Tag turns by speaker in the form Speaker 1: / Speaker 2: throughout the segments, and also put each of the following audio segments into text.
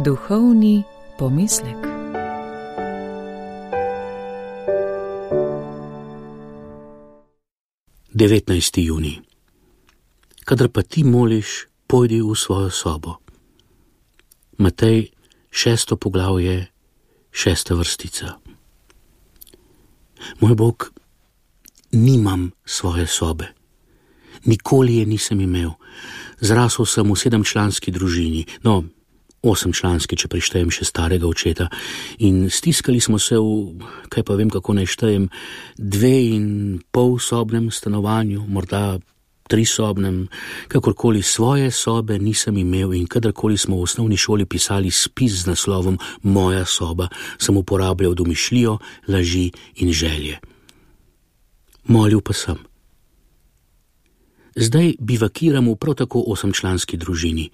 Speaker 1: Duhovni pomislek.
Speaker 2: Devetnajsti junij. Kadar pa ti moliš, pojdi v svojo sobo. Matej, 6. poglavje, 6. vrstica. Moj Bog, nimam svoje sobe. Nikoli je nisem imel. Zrasel sem v 7-članski družini, 8-članski, če prištejem še starega očeta, in stiskali smo se v, kaj pa vem, kako naj štejem, 2,5-sobnem stanovanju, morda 3-sobnem, kakorkoli. Svoje sobe nisem imel in kadarkoli smo v osnovni šoli pisali spis z naslovom Moja soba, sem uporabljal domišljijo, laži in želje. Molil pa sem. Zdaj bivakiram v prav tako 8-članski družini,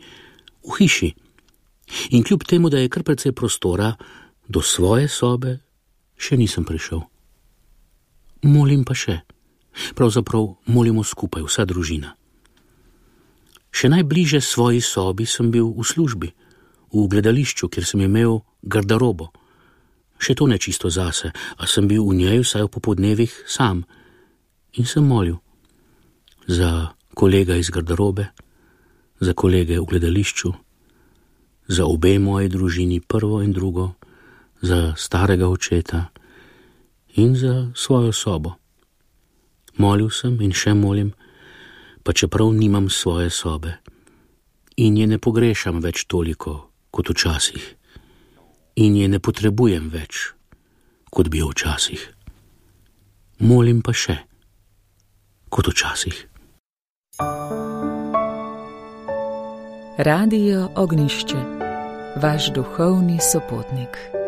Speaker 2: v hiši. In kljub temu, da je kar precej prostora, do svoje sobe še nisem prišel. Molim pa še. Pravzaprav molimo skupaj, vsa družina. Še najbliže svoji sobi sem bil v službi, v gledališču, kjer sem imel garderobo. Še to ne čisto zase, a sem bil v njej vsaj v popodnevih sam. In sem molil. Za kolega iz garderobe, za kolege v gledališču, za obe moji družini, prvo in drugo, za starega očeta in za svojo sobo. Molil sem in še molim, pa čeprav nimam svoje sobe in je ne pogrešam več toliko kot včasih in je ne potrebujem več, kot bi jo včasih. Molim pa še, kot včasih.
Speaker 1: Radio Ognjišče, vaš duhovni sopotnik.